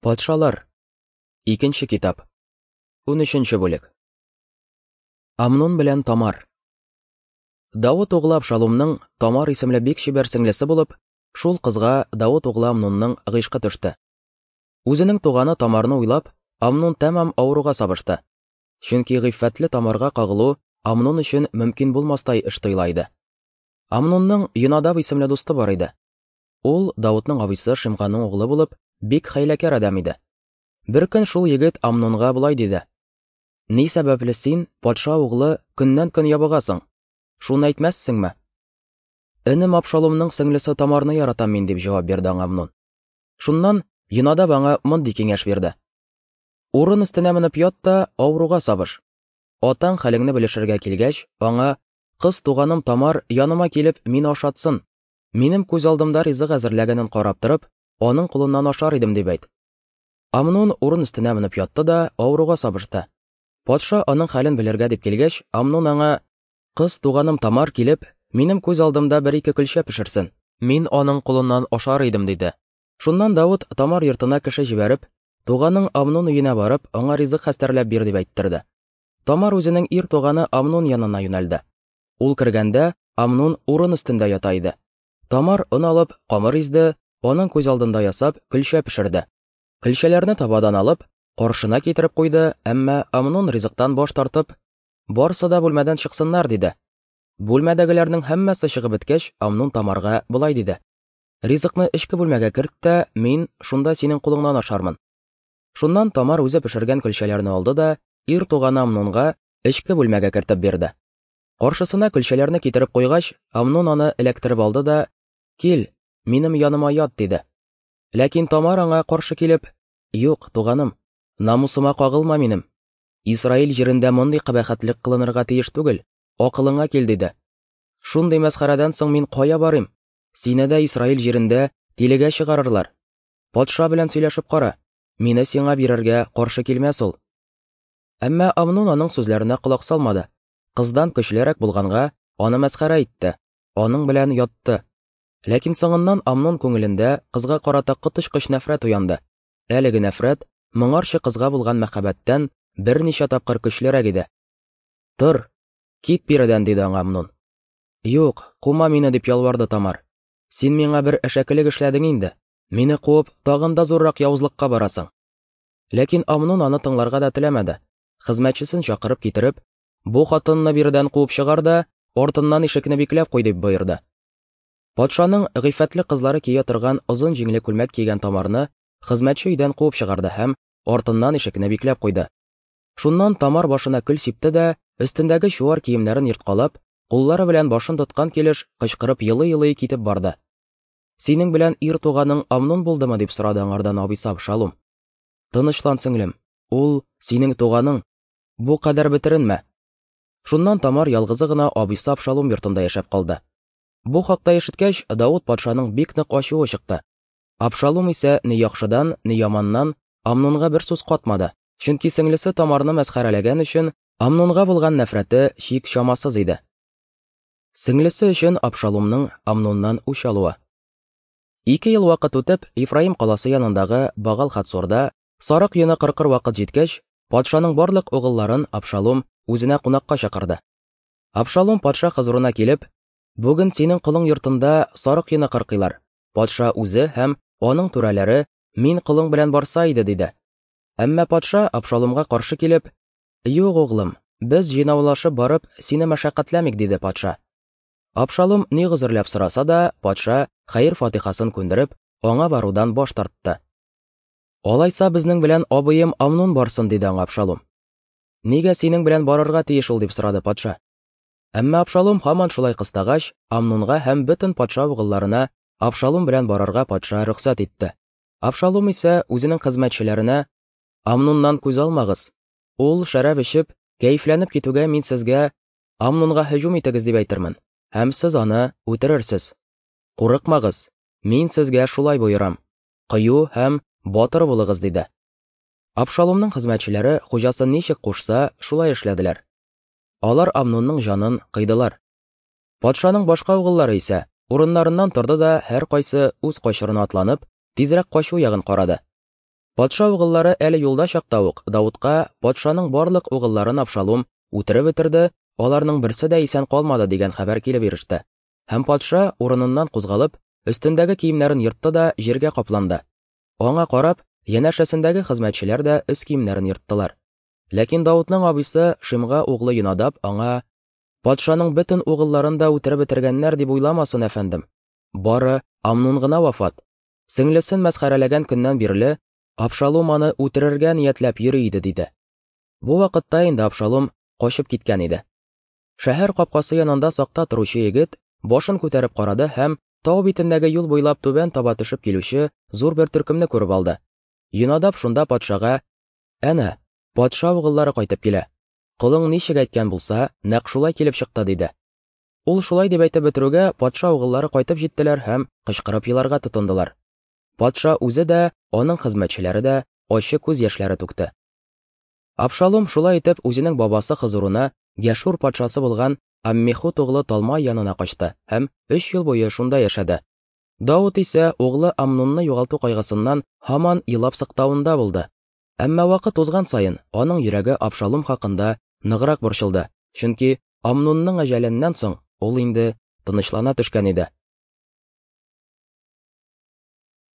Патшалар. Икенче китап. 13 бүлек. Амнон белән Тамар. Давыт углы Абшалумның Тамар исемле бик чибәр сеңлесе булып, шул кызга Давыт углы Амнонның гыйшкы төште. Үзенең туганы Тамарны уйлап, Амнон тәмам авыруга сабышты. Чөнки гыйффәтле Тамарга кагылу Амнон өчен мөмкин булмастай эш тоела иде. Амнонның Йонадаб исемле дусты бар иде. Ул Давытның абыйсы Шимганың углы булып, бик хәйләкәр адәм иде. Беркөн шул егет Амнонга болай диде: "Ни сәбәпле син, патша углы, көннән-көн ябыгасың? Шуны әйтмәссеңме?" Энем Абшаломның сеңлесе Тамарны яратам мин, дип җавап бирде аңа Амнон. Шуннан Йонадаб аңа мондый киңәш бирде: Урын өстенә менеп ят та авыруга сабыш. Атаң хәлеңне белешергә килгәч, аңа: "Кыз туганым Тамар яныма килеп мине ашатсын, Минем күз алдымда ризык әзерләгәнен карап торып, аның кулыннан ашар идем, дип әйт. Амнон урын өстенә менеп ятты да авыруга сабышты. Патша аның хәлен белергә дип килгәч, Амнон аңа: "Кыз туганым Тамар килеп, минем күз алдымда бер-ике көлчә пешерсен. Мин аның кулыннан ашар идем", диде. Шуннан Давыт Тамар йортына кеше җибәреп, "Туганың Амнон өенә барып, аңа ризык хәстәрләп бир", дип әйттерде. Тамар үзенең ир туганы Амнон янына юнәлде. Ул кергәндә, Амнун урын өстендә ята иде. Тамар он алып, камыр изде, аның күз алдында ясап, көлчә пешерде. Көлчәләрне табадан алып, каршына китереп куйды, әмма Амнун ризыктан баш тартып, «Барсы да бүлмәдән чыксыннар», диде. Бүлмәдәгеләрнең һәммәсе чыгып беткәч, Амнун Тамарга болай диде: «Ризыкны эчке бүлмәгә керт тә, мин шунда синең кулыңнан ашармын». Шуннан Тамар үзе пешергән көлчәләрне алды да, ир туганы Амнунга эчке бүлмәгә кертеп бирде. Каршысына көлчәләрне китереп куйгач, Амнон аны эләктереп алды да, "Кил, минем яныма ят", диде. Ләкин Тамар аңа каршы килеп, "Юк, туганым, намусыма кагылма минем. Исраил җирендә мондый кабахәтлек кылынырга тиеш түгел, акылыңа кил", диде. Шундый мәсхәрәдән соң мин кая барыйм? Сине дә Исраил җирендә тилегә чыгарырлар. Патша белән сөйләшеп кара, мине сиңа бирергә каршы килмәс ул. Әмма Амнон аның сүзләренә колак салмады. Кыздан көчлерәк булганга, аны мәсхәрә итте, аның белән ятты. Ләкин соңыннан Амнон күңелендә кызга карата коточкыч нәфрәт уянды. Әлеге нәфрәт моңарчы кызга булган мәхәббәттән берничә тапкыр көчлерәк иде. Тор, кит биредән, диде аңа Амнон. Юк, кума мине, дип ялварды Тамар. Син миңа бер әшәкелек эшләдең инде. Мине куып, тагын да зуррак явызлыкка барасың. Ләкин Амнон аны тыңларга да теләмәде. Хезмәтчесен чакырып китереп, "Бу хатынны биредән куып чыгар да, артыннан ишекне бикләп куй", дип боерды. Патшаның гыйффәтле кызлары кия торган озын җиңле күлмәк кигән Тамарны хезмәтче өйдән куып чыгарды һәм артыннан ишекне бикләп куйды. Шуннан Тамар башына көл сипте дә, өстендәге чуар киемнәрен ерткалап, куллары белән башын тоткан килеш, кычкырып елый-елый китеп барды. Синең белән ир туганың Амнон булдымы, дип сорады аңардан абыйсы Абшалум. Тынычлан, сеңлем, ул синең туганың. Бу кадәр бетеренмә. Шуннан Тамар ялгызы гына абыйсы Абшалум йортында яшәп калды. Бу хакта ишеткәч, Давыт патшаның бик нык ачуы чыкты. Абшалум исә ни яхшыдан, ни яманнан Амнонга бер сүз катмады, чөнки сеңлесе Тамарны мәсхәрәләгән өчен Амнонга булган нәфрәте чик-чамасыз иде. Сеңлесе өчен Абшалумның Амноннан үч алуы. Ике ел вакыт үтеп, Ефраим каласы янындагы Багал-Хацорда сарык йоны кыркыр вакыт җиткәч, патшаның барлык угылларын Абшалум үзенә кунакка чакырды. Абшалум патша хозурына килеп, "Бүген синең колың йортында сарык йоны кыркыйлар. Патша үзе һәм аның түрәләре мин колың белән барса иде", диде. Әмма патша Абшалумга каршы килеп, "Юк, углым, без җыйнаулашып барып, сине мәшәкатьләмик", диде патша. Абшалум ни гозерләп сораса да, патша хәер-фатихасын күндереп, аңа барудан баш тартты. Алайса безнең белән абыем Амнон барсын, диде аңа Абшалум. Нигә синең белән барырга тиеш ул, дип сорады патша. Әмма Абшалум һаман шулай кыстагач, Амнонга һәм бөтен патша угылларына Абшалум белән барырга патша рөхсәт итте. Абшалум исә үзенең хезмәтчеләренә: "Амноннан күз алмагыз. Ул шәраб эчеп, кәефләнеп китүгә мин сезгә Амнонга һөҗүм итегез дип әйтермен, һәм сез аны үтерерсез. Курыкмагыз, мин сезгә шулай боерам. Кыю һәм батыр булыгыз, диде. Абшалумның хезмәтчеләре хуҗасы ничек кушса, шулай эшләделәр. Алар Амнонның җанын кыйдылар. Патшаның башка угыллары исә урыннарыннан торды да һәркайсы үз качырына атланып, тизрәк качу ягын карады. Патша угыллары әле юлда чакта ук Давытка патшаның барлык угылларын Абшалум үтереп бетерде, аларның берсе дә исән калмады дигән хәбәр килеп иреште. Һәм патша, урыныннан кузгалып, өстендәге киемнәрен ертты да җиргә капланды. Аңа карап, янәшәсендәге хезмәтчеләр дә өс киемнәрен ерттылар. Ләкин Давытның абыйсы Шимга углы Йонадаб аңа: "Патшаның бөтен угылларын да үтереп бетергәннәр дип уйламасын, әфәндем. Бары Амнун гына вафат. Сеңлесен мәсхәрәләгән көннән бирле Абшалум аны үтерергә ниятләп йөри иде, диде. Бу вакытта инде Абшалум качып киткән иде. Шәһәр капкасы янында сакта торучы егет башын күтәреп карады һәм тау битендәге юл буйлап түбән таба төшеп килүче зур бер төркемне күреп алды. Йонадаб шунда патшага: "Әнә, патша угыллары кайтып килә. Колың ничек әйткән булса, нәкъ шулай килеп чыкты", диде. Ул шулай дип әйтеп бетерүгә, патша угыллары кайтып җиттеләр һәм кычкырып еларга тотындылар. Патша үзе дә, аның хезмәтчеләре дә ачы күз яшьләре түкте. Абшалом шулай итеп үзенең бабасы хозурына Гәшур патшасы булган Аммихут углы Талмай янына качты һәм өч ел буе шунда яшәде. Давыт исә углы Амнунны югалту кайгысыннан һаман елап сыктавында булды. Әмма вакыт узган саен аның йөрәге Абшалом хакында ныграк борчылды, чөнки Амнунның әҗәленнән соң ул инде тынычлана төшкән иде.